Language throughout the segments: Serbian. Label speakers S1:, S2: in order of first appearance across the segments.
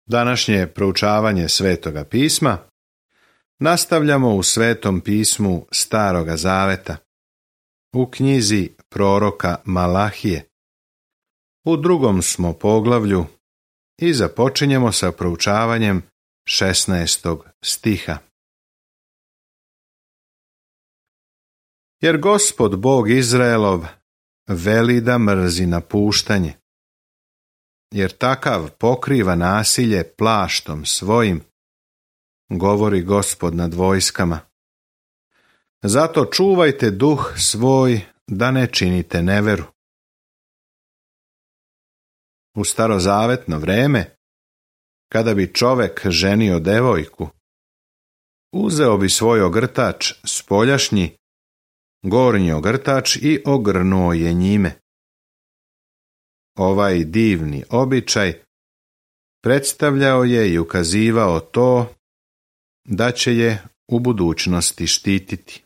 S1: Današnje proučavanje Svetoga pisma nastavljamo u Svetom pismu Staroga Zaveta, u knjizi proroka Malahije. U 2. smo poglavlju i započinjemo sa proučavanjem 16. stiha. Jer Gospod Bog Izraelov veli da mrzi napuštanje, jer takav pokriva nasilje plaštom svojim, govori Gospod nad vojskama. Zato čuvajte duh svoj da ne činite neveru. U starozavetno vreme, kada bi čovek ženio devojku, uzeo bi svoj ogrtač spoljašnji, gornji ogrtač i ogrnuo je njime. Ovaj divni običaj predstavljao je i ukazivao to da će je u budućnosti štititi.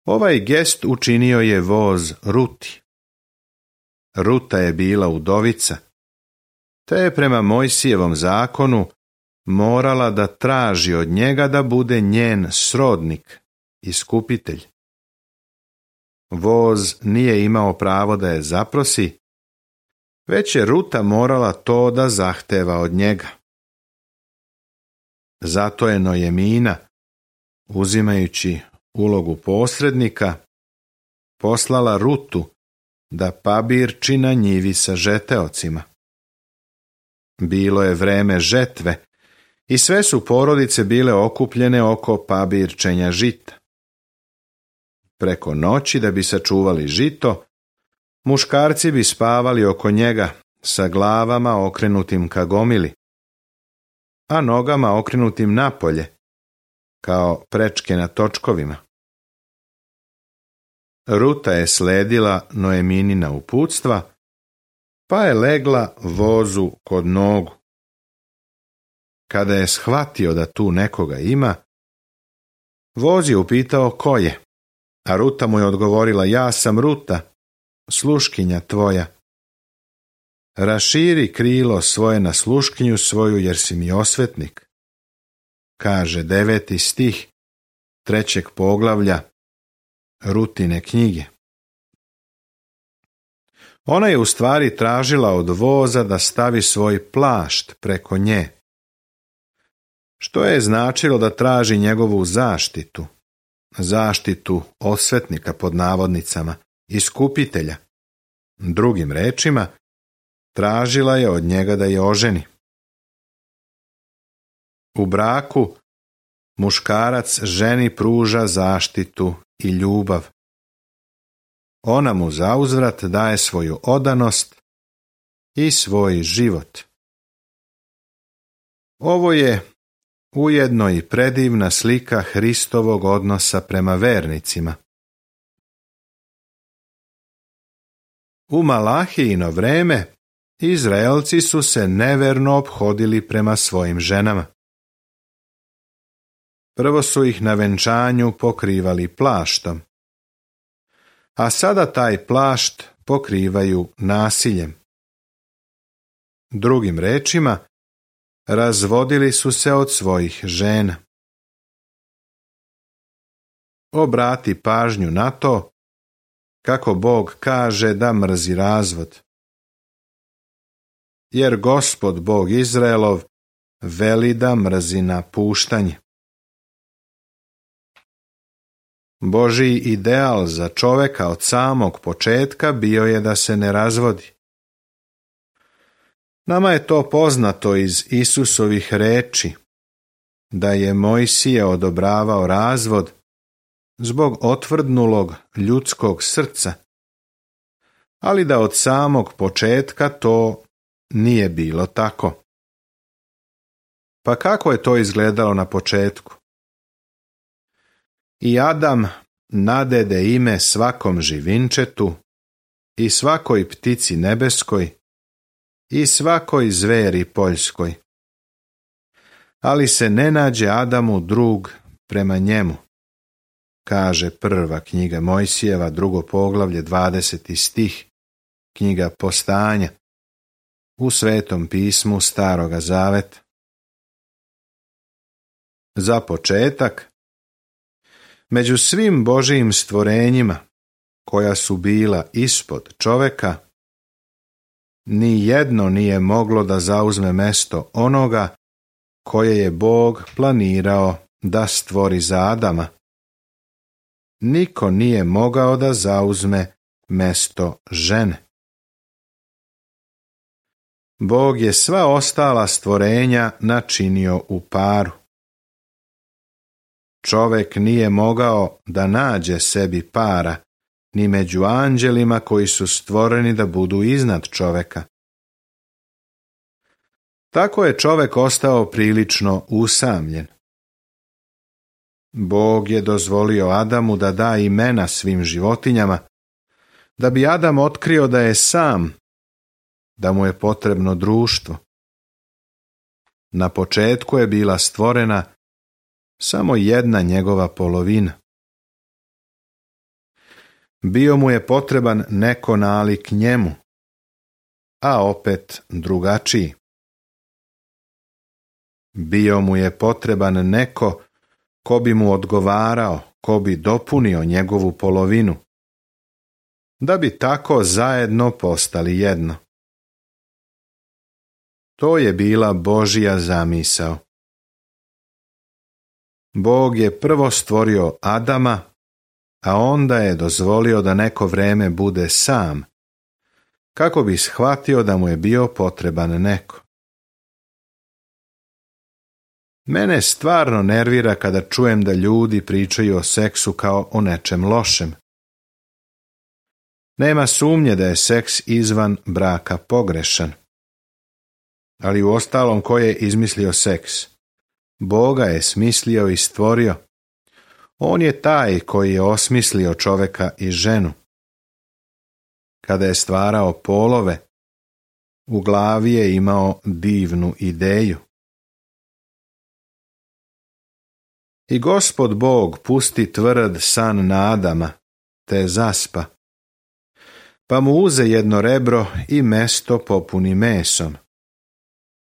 S1: Ovaj gest učinio je voz Ruti. Ruta je bila udovica, te je prema Mojsijevom zakonu morala da traži od njega da bude njen srodnik, iskupitelj. Voz nije imao pravo da je zaprosi, već je Ruta morala to da zahteva od njega. Zato je Nojemina, uzimajući ulogu posrednika, poslala Rutu da pabirči na njivi sa žeteocima. Bilo je vreme žetve i sve su porodice bile okupljene oko pabirčenja žita. Preko noći, da bi sačuvali žito, muškarci bi spavali oko njega sa glavama okrenutim ka gomili, a nogama okrenutim napolje, kao prečke na točkovima. Ruta je sledila Noeminina uputstva, pa je legla vozu kod nogu. Kada je shvatio da tu nekoga ima, voz je upitao ko je, a Ruta mu je odgovorila: ja sam Ruta, sluškinja tvoja. Raširi krilo svoje na sluškinju svoju, jer si mi osvetnik, kaže 9. stih 3. poglavlja Rutine knjige. Ona je u stvari tražila od voza da stavi svoj plašt preko nje, što je značilo da traži njegovu zaštitu osvetnika pod navodnicama, iskupitelja. Drugim rečima, tražila je od njega da je oženi. U braku muškarac ženi pruža zaštitu i ljubav. Ona mu zauzvrat daje svoju odanost i svoj život. Ovo je ujedno i predivna slika Hristovog odnosa prema vernicima. U Malahijino vreme Izraelci su se neverno ophodili prema svojim ženama. Prvo su ih na venčanju pokrivali plaštom, a sada taj plašt pokrivaju nasiljem. Drugim rečima, razvodili su se od svojih žena. Obrati pažnju na to kako Bog kaže da mrzi razvod. Jer Gospod Bog Izraelov veli da mrzi napuštanje. Božji ideal za čoveka od samog početka bio je da se ne razvodi. Nama je to poznato iz Isusovih reči, da je Mojsije odobravao razvod zbog otvrdnulog ljudskog srca, ali da od samog početka to nije bilo tako. Pa kako je to izgledalo na početku? I Adam nadede ime svakom živinčetu i svakoj ptici nebeskoj i svakoj zveri poljskoj. Ali se ne nađe Adamu drug prema njemu, kaže prva knjiga Mojsijeva, 2. poglavlje, 20. stih, knjiga Postanja. u Svetom pismu Staroga zaveta. Za početak, među svim Božijim stvorenjima koja su bila ispod čoveka, ni jedno nije moglo da zauzme mesto onoga koje je Bog planirao da stvori za Adama. Niko nije mogao da zauzme mesto žene. Bog je sva ostala stvorenja načinio u paru. Čovek nije mogao da nađe sebi para, ni među anđelima koji su stvoreni da budu iznad čoveka. Tako je čovek ostao prilično usamljen. Bog je dozvolio Adamu da da imena svim životinjama, da bi Adam otkrio da je sam, da mu je potrebno društvo. Na početku je bila stvorena samo jedna njegova polovina. Bio mu je potreban neko nalik njemu, a opet drugačiji. Bio mu je potreban neko ko bi mu odgovarao, ko bi dopunio njegovu polovinu, da bi tako zajedno postali jedno. To je bila Božja zamisao. Bog je prvo stvorio Adama, a onda je dozvolio da neko vreme bude sam, kako bi shvatio da mu je bio potreban neko. Mene stvarno nervira kada čujem da ljudi pričaju o seksu kao o nečem lošem. Nema sumnje da je seks izvan braka pogrešan. Ali uostalom ko je izmislio seks? Boga je smislio i stvorio. On je taj koji je osmislio čoveka i ženu. Kada je stvarao polove, u glavi je imao divnu ideju. I Gospod Bog pusti tvrd san na Adama, te zaspa. Pa mu uze jedno rebro i mesto popuni mesom.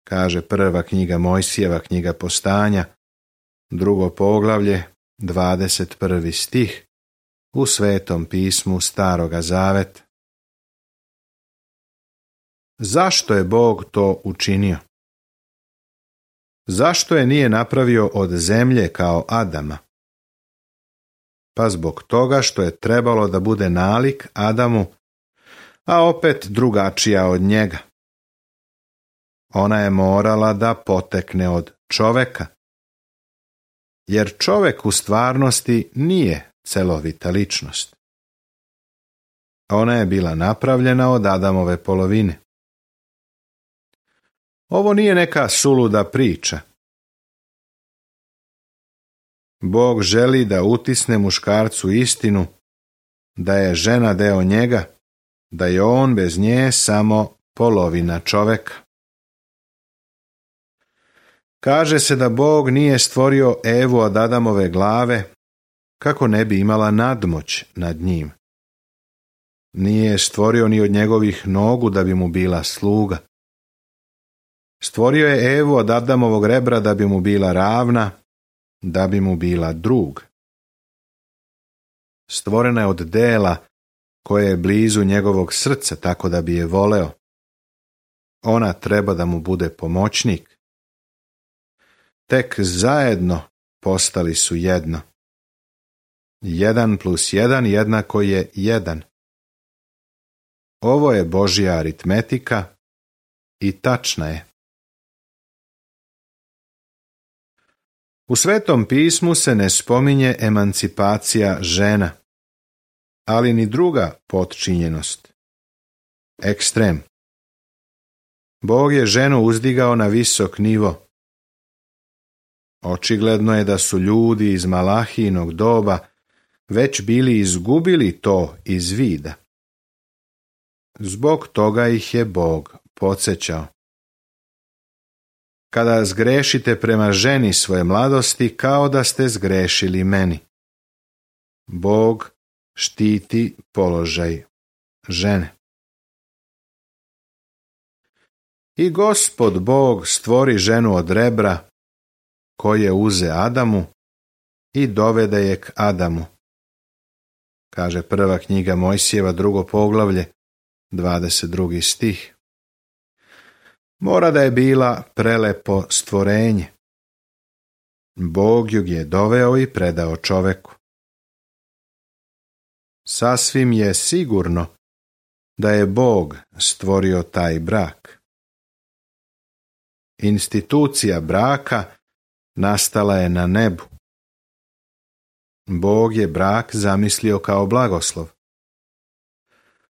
S1: Kaže prva knjiga Mojsijeva, knjiga Postanja, 2. poglavlje, 21. stih, u Svetom pismu Staroga zaveta. Zašto je Bog to učinio? Zašto je nije napravio od zemlje kao Adama? Pa zbog toga što je trebalo da bude nalik Adamu, a opet drugačija od njega. Ona je morala da potekne od čoveka, jer čovek u stvarnosti nije celovita ličnost. Ona je bila napravljena od Adamove polovine. Ovo nije neka suluda priča. Bog želi da utisne muškarcu istinu da je žena deo njega, da je on bez nje samo polovina čoveka. Kaže se da Bog nije stvorio Evu od Adamove glave kako ne bi imala nadmoć nad njim. Nije je stvorio ni od njegovih nogu da bi mu bila sluga. Stvorio je Evu od Adamovog rebra da bi mu bila ravna, da bi mu bila drug. Stvorena je od dela koje je blizu njegovog srca, tako da bi je voleo. Ona treba da mu bude pomoćnik. Tek zajedno postali su jedno. 1 + 1 jednako je 1. Ovo je Božja aritmetika i tačna je. U Svetom pismu se ne spominje emancipacija žena, ali ni druga potčinjenost. Ekstrem. Bog je ženu uzdigao na visok nivo. Očigledno je da su ljudi iz Malahijinog doba već bili izgubili to iz vida. Zbog toga ih je Bog podsjećao. Kada zgrešite prema ženi svoje mladosti, kao da ste zgrešili meni. Bog štiti položaj žene. I Gospod Bog stvori ženu od rebra, koje uze Adamu i dovede je k Adamu. Kaže prva knjiga Mojsijeva, 2. poglavlje, 22. stih. Mora da je bila prelepo stvorenje. Bog ju je doveo i predao čoveku. Sasvim je sigurno da je Bog stvorio taj brak. Institucija braka nastala je na nebu. Bog je brak zamislio kao blagoslov.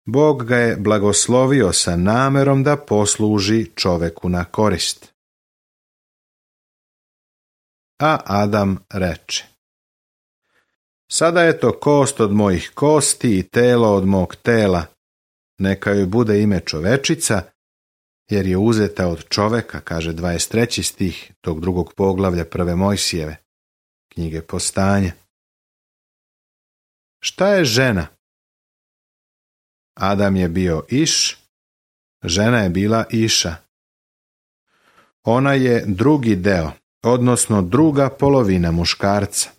S1: Bog ga je blagoslovio sa namerom da posluži čoveku na korist. A Adam reče: Sada je to kost od mojih kosti i telo od mog tela, neka joj bude ime čovečica, jer je uzeta od čoveka, kaže 23. stih tog 2. poglavlja 1. Mojsijeve, knjige Postanja. Šta je žena? Adam je bio Iš, žena je bila Iša. Ona je drugi deo, odnosno druga polovina muškarca.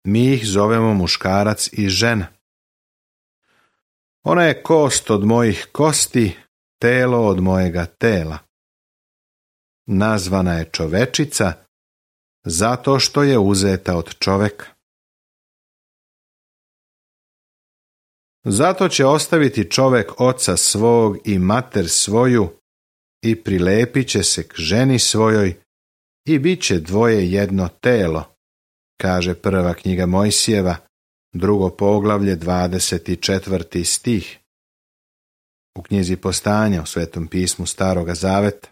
S1: Mi ih zovemo muškarac i žena. Ona je kost od mojih kosti, telo od mojega tela. Nazvana je čovečica zato što je uzeta od čoveka. Zato će ostaviti čovek oca svog i mater svoju i prilepit će se k ženi svojoj i bit će dvoje jedno telo, kaže prva knjiga Mojsijeva, 2. poglavlje, 24. stih. U knjizi Postanja u Svetom pismu Staroga Zaveta.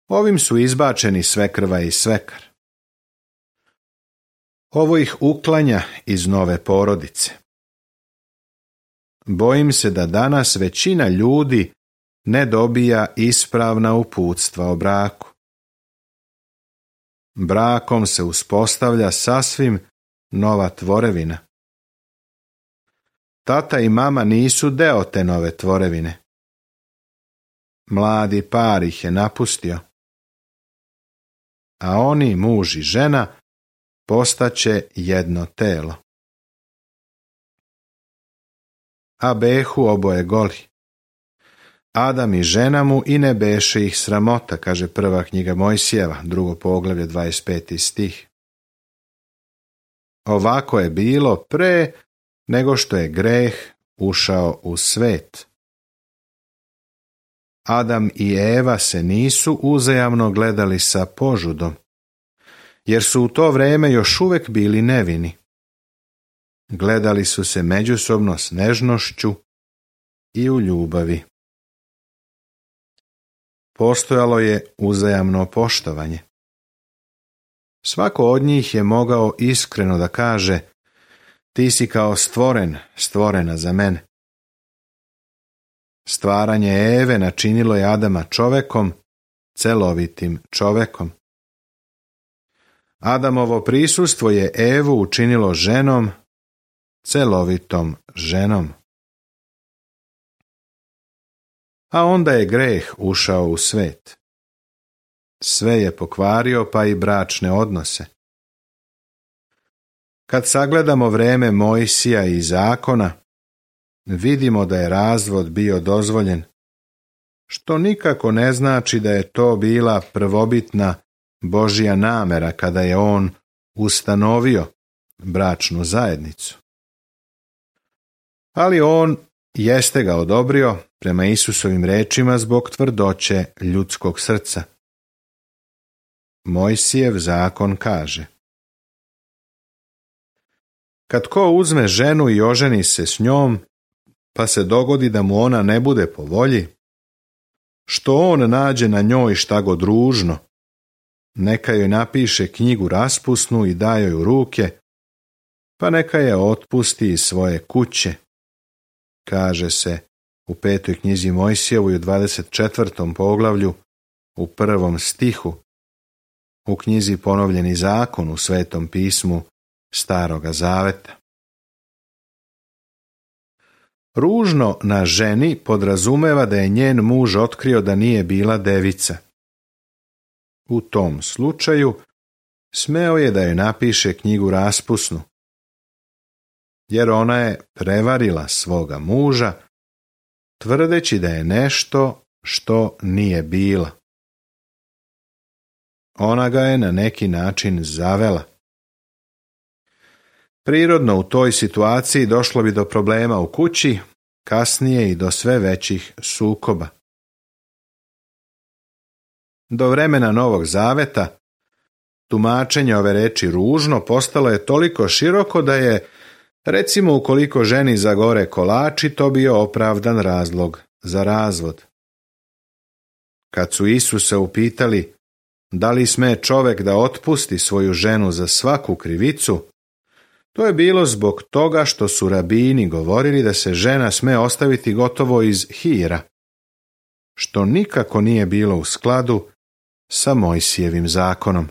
S1: Ovim su izbačeni svekrva i svekar. Ovo ih uklanja iz nove porodice. Bojim se da danas većina ljudi ne dobija ispravna uputstva o braku. Brakom se uspostavlja sasvim nova tvorevina. Tata i mama nisu deo te nove tvorevine. Mladi par ih je napustio. A oni, muž i žena, postaće jedno telo. A behu oboje goli. Adam i žena mu i ne beše ih sramota, kaže prva knjiga Mojsijeva, 2. poglavlje, 25. stih. Ovako je bilo pre nego što je greh ušao u svet. Adam i Eva se nisu uzajamno gledali sa požudom, jer su u to vrijeme još uvijek bili nevini. Gledali su se međusobno s nežnošću i u ljubavi. Postojalo je uzajamno poštovanje. Svako od njih je mogao iskreno da kaže: ti si kao stvorena za mene. Stvaranje Eve načinilo je Adama čovekom, celovitim čovekom. Adamovo prisustvo je Evu učinilo ženom, celovitom ženom. A onda je greh ušao u svet. Sve je pokvario, pa i bračne odnose. Kad sagledamo vreme Mojsija i zakona, vidimo da je razvod bio dozvoljen, što nikako ne znači da je to bila prvobitna Božja namera kada je on ustanovio bračnu zajednicu. Ali on jeste ga odobrio prema Isusovim rečima zbog tvrdoće ljudskog srca. Mojsijev zakon kaže: kad ko uzme ženu i oženi se s njom, pa se dogodi da mu ona ne bude po volji, što on nađe na njoj šta god ružno, neka joj napiše knjigu raspusnu i da joj u ruke, pa neka je otpusti iz svoje kuće, kaže se u 5. knjizi Mojsijevoj u 24. poglavlju u 1. stihu, u knjizi Ponovljeni zakon u Svetom pismu Staroga Zaveta. Ružno na ženi podrazumeva da je njen muž otkrio da nije bila devica. U tom slučaju smeo je da joj napiše knjigu raspusnu, jer ona je prevarila svoga muža, tvrdeći da je nešto što nije bila. Ona ga je na neki način zavela. Prirodno u toj situaciji došlo bi do problema u kući, kasnije i do sve većih sukoba. Do vremena Novog Zaveta tumačenje ove reči ružno postalo je toliko široko da je, recimo, ukoliko ženi zagore kolači, to bio opravdan razlog za razvod. Kad su Isusa upitali da li sme čovek da otpusti svoju ženu za svaku krivicu, to je bilo zbog toga što su rabini govorili da se žena sme ostaviti gotovo iz hira, što nikako nije bilo u skladu sa Mojsijevim zakonom.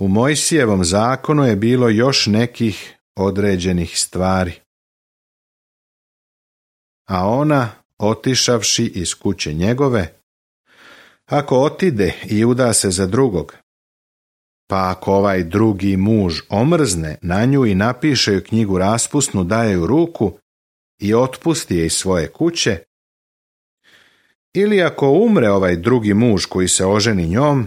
S1: U Mojsijevom zakonu je bilo još nekih određenih stvari. A ona, otišavši iz kuće njegove, ako otide i uda se za drugog, pa ako ovaj drugi muž omrzne na nju i napiše joj knjigu raspusnu, daje ju ruku i otpusti je iz svoje kuće, ili ako umre ovaj drugi muž koji se oženi njom,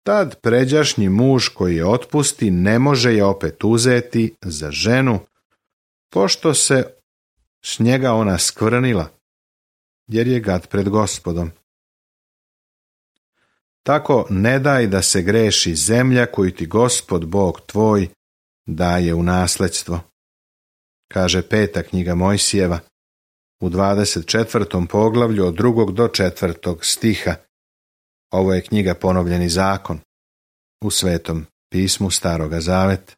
S1: tad pređašnji muž koji je otpusti ne može je opet uzeti za ženu, pošto se s njega ona skvrnila, jer je gad pred Gospodom. Tako ne daj da se greši zemlja koju ti Gospod Bog tvoj daje u nasledstvo, kaže 5. knjiga Mojsijeva u 24. poglavlju od 2. do 4. stiha. Ovo je knjiga Ponovljeni zakon u Svetom pismu Staroga Zaveta.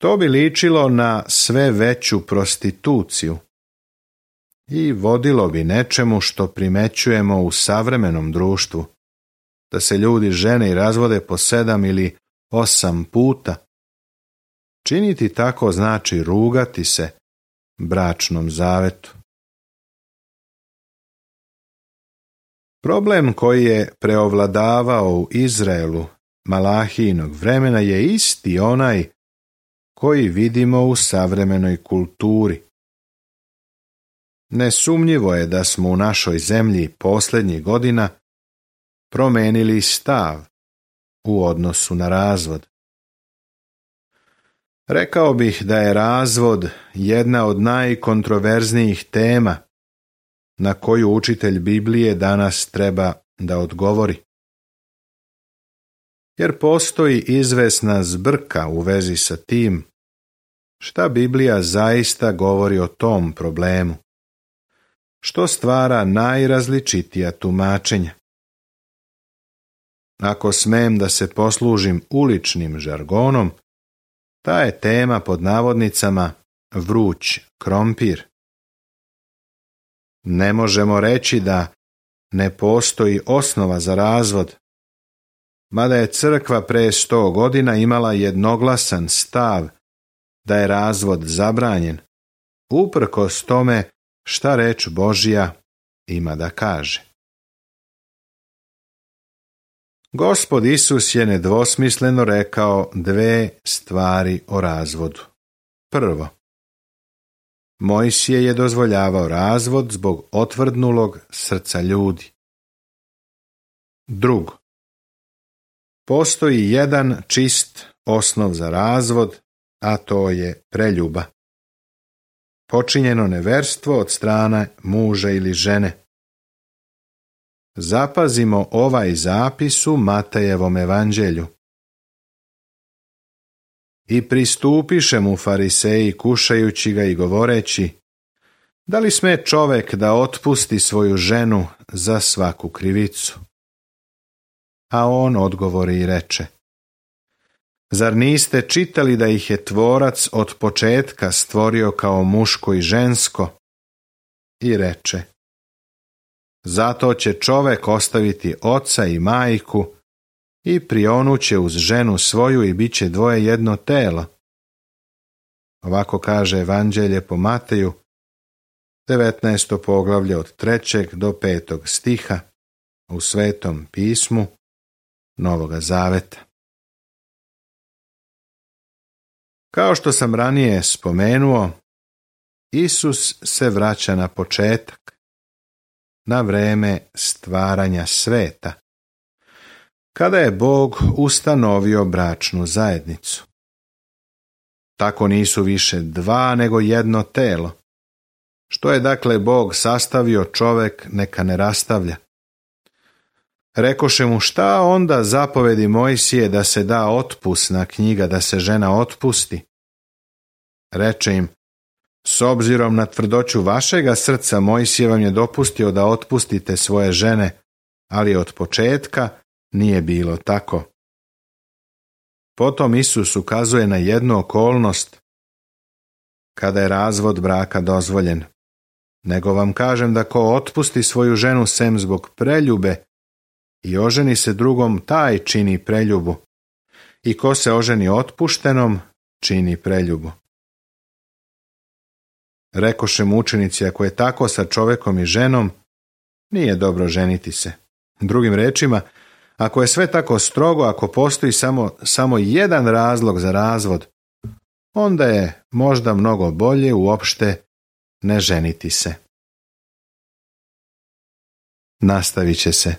S1: To bi ličilo na sve veću prostituciju i vodilo bi nečemu što primećujemo u savremenom društvu, da se ljudi žene i razvode po 7 ili 8 puta. Činiti tako znači rugati se bračnom zavetu. Problem koji je preovladavao u Izraelu Malahijinog vremena je isti onaj koji vidimo u savremenoj kulturi. Nesumnjivo je da smo u našoj zemlji posljednjih godina promenili stav u odnosu na razvod. Rekao bih da je razvod jedna od najkontroverznijih tema na koju učitelj Biblije danas treba da odgovori. Jer postoji izvesna zbrka u vezi sa tim šta Biblija zaista govori o tom problemu, što stvara najrazličitija tumačenja. Ako smem da se poslužim uličnim žargonom, ta je tema pod navodnicama vruć krompir. Ne možemo reći da ne postoji osnova za razvod, mada je crkva pre 100 godina imala jednoglasan stav da je razvod zabranjen, uprkos tome šta reč Božja ima da kaže. Gospod Isus je nedvosmisleno rekao 2 stvari o razvodu. Prvo, Mojsije je dozvoljavao razvod zbog otvrdnulog srca ljudi. Drugo, postoji jedan čist osnov za razvod, a to je preljuba. Počinjeno neverstvo od strane muža ili žene. Zapazimo ovaj zapis u Matejevom evanđelju. I pristupiše mu fariseji kušajući ga i govoreći, da li sme čovek da otpusti svoju ženu za svaku krivicu? A on odgovori i reče, zar niste čitali da ih je Tvorac od početka stvorio kao muško i žensko? I reče, zato će čovek ostaviti oca i majku i prionuće uz ženu svoju i bit će dvoje jedno telo. Ovako kaže Evanđelje po Mateju, 19. poglavlje od 3. do 5. stiha u Svetom pismu Novoga Zaveta. Kao što sam ranije spomenuo, Isus se vraća na početak, na vreme stvaranja sveta, kada je Bog ustanovio bračnu zajednicu. Tako nisu više dva nego jedno telo. Što je dakle Bog sastavio, čovek neka ne rastavlja. Rekoše mu, šta onda zapovedi Mojsije da se da otpusna knjiga, da se žena otpusti? Reče im, s obzirom na tvrdoću vašega srca Mojsije vam je dopustio da otpustite svoje žene, ali od početka nije bilo tako. Potom Isus ukazuje na jednu okolnost kada je razvod braka dozvoljen. Nego vam kažem da ko otpusti svoju ženu sem zbog preljube i oženi se drugom, taj čini preljubu. I ko se oženi otpuštenom, čini preljubu. Rekoše mu učenici, ako je tako sa čovekom i ženom, nije dobro ženiti se. Drugim rečima, ako je sve tako strogo, ako postoji samo jedan razlog za razvod, onda je možda mnogo bolje uopšte ne ženiti se. Nastavit će se